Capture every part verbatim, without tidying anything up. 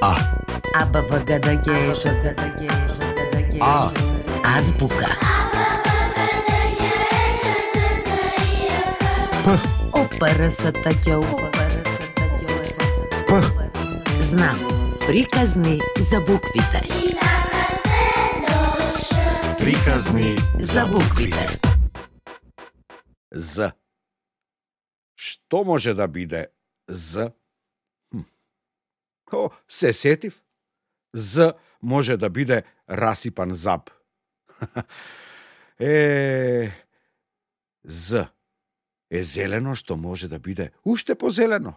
А. А, Б, В, Г, Д, Г, Ш, З, Д, Г, Ж, З, Д, Г. А. Азбука. П. О, П, Р, С, Т, Қ, У, П, Р, С, Т, Қ, У, П. Знам. Приказни за буквите. Приказни за буквите. З. Што може да биде З? Хм. О, се сетив. З може да биде расипан заб. Е, З е зелено што може да биде уште позелено.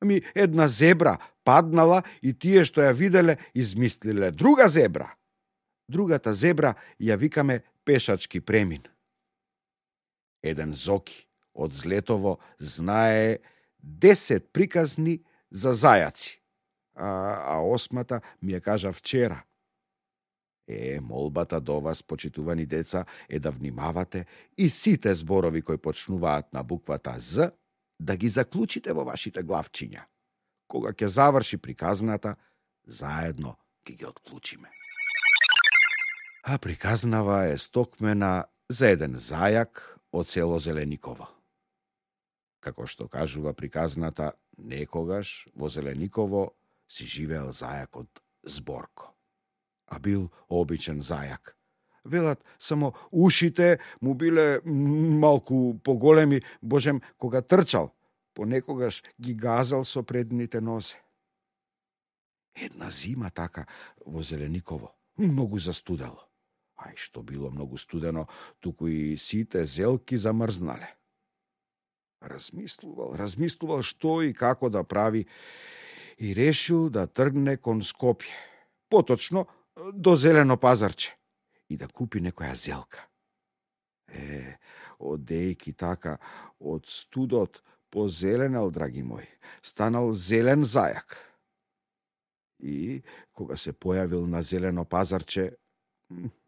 Ами една зебра паднала и тие што ја виделе измислиле друга зебра. Другата зебра ја викаме пешачки премин. Еден Зоки од Злетово знае десет приказни за зајаци, а, а осмата ми ја кажа вчера. Е, молбата до вас, почитувани деца, е да внимавате и сите зборови кои почнуваат на буквата З, да ги заклучите во вашите главчиња. Кога ќе заврши приказната, заедно ќе ги отклучиме. А приказнава е стокмена за еден зајак од село Зелениково. Како што кажува приказната, некогаш во Зелениково си живеел зајакот Зборко. А бил обичен зајак. Велат, само ушите му биле малку поголеми, божем, кога трчал, понекогаш ги газал со предните нозе. Една зима така во Зелениково, многу застудело. Ај што било многу студено, туку и сите зелки замрзнале. Размислувал, размислувал што и како да прави и решил да тргне кон Скопје, поточно до Зелено пазарче и да купи некоја зелка. Е, одејки така од студот позеленал, драги мој, станал зелен зајак. И кога се појавил на Зелено пазарче,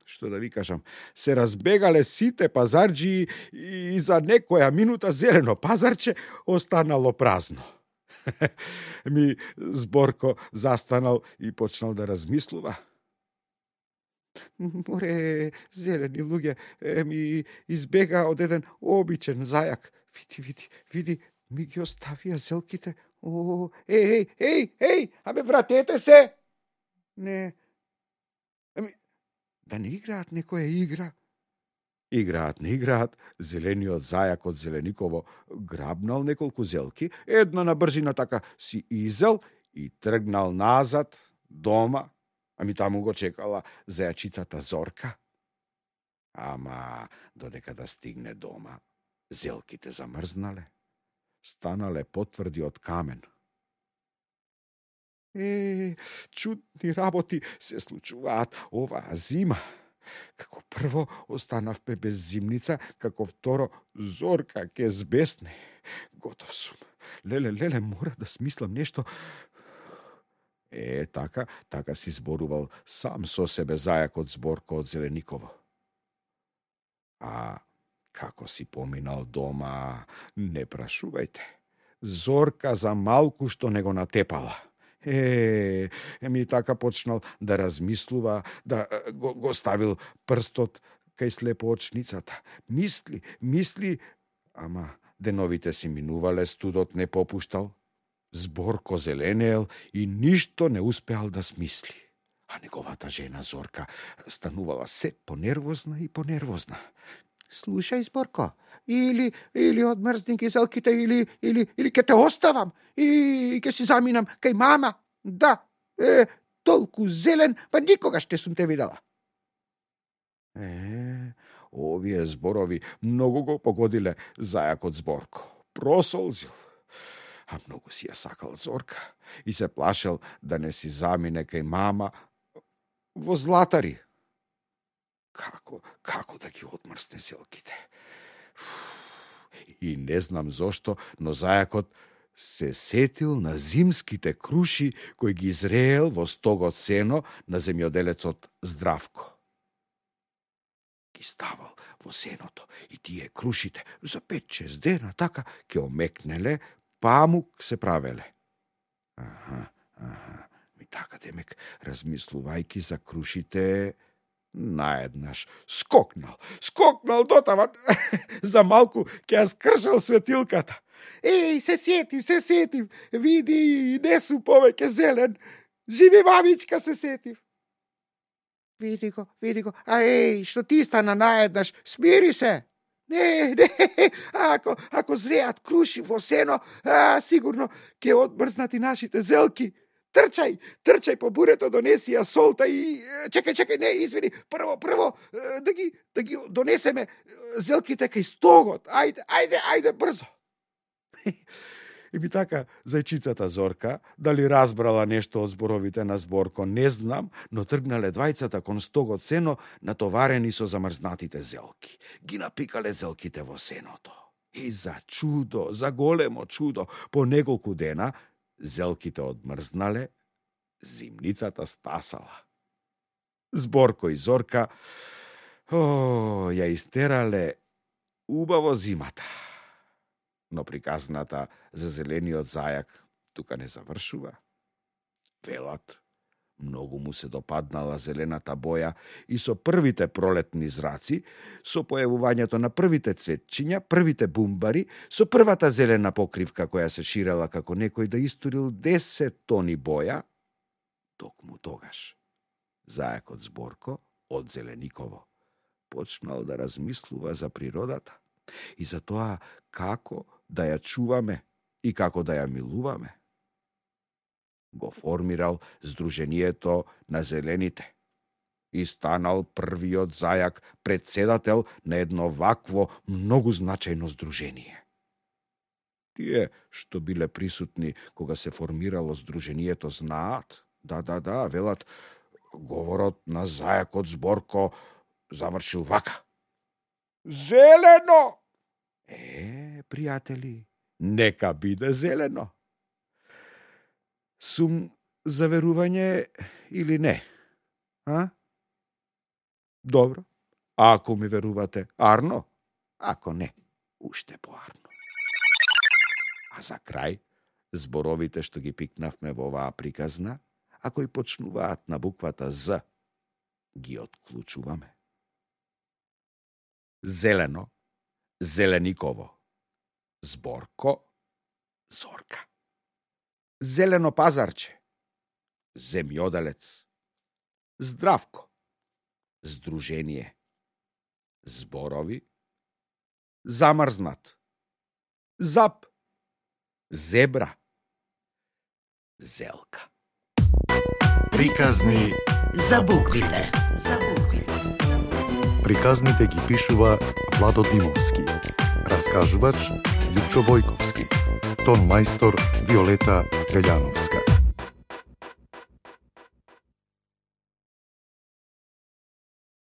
што да ви кажам, се разбегале сите пазарџии и за некоја минута Зелено пазарче останало празно. Ми Зборко застанал и почнал да размислува. Море, зелени луѓе, ми избега од еден обичен зајак. Види, види, види, ми ги оставија зелките. О, еј, еј, еј, еј, абе вратете се! Не, ами, да не играат некоја игра? Играат, не играат, зелениот зајак од Зелениково грабнал неколку зелки, една на брзина така си изел и тргнал назад, дома, ами таму го чекала зајачицата Зорка. Ама, додека да стигне дома, зелките замрзнале, станале потврди од камен. Е, чудни работи се случуваат оваа зима. Како прво останавме без зимница, како второ Зорка ке збесне. Готов сум. Леле, леле, мора да смислам нешто. Е, така, така си зборувал сам со себе зајакот Зборко од Зелениково. А како си поминал дома, не прашувајте. Зорка за малку што не го натепала. Е, еми така почнал да размислува, да го, го ставил прстот кај слепоочницата. Мисли, мисли, ама деновите си минувале, студот не попуштал. Зборко зеленеел и ништо не успеал да смисли. А неговата жена Зорка станувала се понервозна и понервозна. Слушај, Зборко, или или одмрзни ги зелките, или или или ќе те оставам и ќе си заминам кај мама. Да, е, толку зелен, па никогаш те сум те видела. Е, овие зборови многу го погодиле зајакот Зборко. Просолзил. А многу си ја сакал Зорка и се плашел да не си замине кај мама во Златари. Како, како да ги одмрсне зелките? И не знам зошто, но зајакот се сетил на зимските круши кои ги изреел во стогот сено на земјоделецот Здравко. Ги ставал во сеното и тие крушите за пет-шест дена така ќе омекнеле, памук се правеле. Аха, аха, ми Академик, размислувајќи за крушите, наеднаш скокнал, скокнал дотаван, за малку ќе ја скршал светилката. Еј, се сетив, се сетив, види, не су повеќе зелен, живи мамичка, се сетив. Види го, види го, а еј, што ти стана наеднаш, смири се. Не, не, ако, ако зреат круши во сено, а, сигурно ќе одмрзнат и нашите зелки. Трчај, трчај по бурето, донеси ја солта и... Чекај, чекај, не, извини, прво, прво, да ги, да ги донесеме зелките кај стогот. Ајде, ајде, ајде, брзо. И би така, зајчицата Зорка, дали разбрала нешто од зборовите на Зборко, не знам, но тргнале двајцата кон стогот сено, натоварени со замрзнатите зелки. Ги напикале зелките во сеното. И за чудо, за големо чудо, по неколку дена, зелките одмрзнале, зимницата стасала. Зборко и Зорка, о, ја истерале убаво зимата. Но приказната за зелениот зајак тука не завршува. Велат, многу му се допаднала зелената боја и со првите пролетни зраци, со појавувањето на првите цветчиња, првите бумбари, со првата зелена покривка која се ширела како некој да истурил десет тони боја, токму тогаш зајакот Зборко од Зелениково почнал да размислува за природата и за тоа како да ја чуваме и како да ја милуваме. Го формирал Сдруженијето на зелените и станал првиот зајак председател на едно вакво многу значајно здружение. Тие што биле присутни кога се формирало Сдруженијето знаат, да, да, да, велат, говорот на зајакот Зборко завршил вака. Зелено! Е, пријатели, нека биде зелено. Сум за верување или не? А? Добро. Ако ми верувате, арно. Ако не, уште поарно. А за крај, зборовите што ги пикнавме во оваа приказна, ако и почнуваат на буквата З, ги отклучуваме. Зелено, Зелениково. Зборко, Зорка. Зелено пазарче, земјоделец. Здравко, Сдружение. Зборови, замрзнат. Зап, зебра. Зелка. Приказни За буквите. За буквите. Приказните ги пишува Владо Димовски. Раскажувач Лјупчо Бојковски. Тон мајстор Виолета Гаљановска.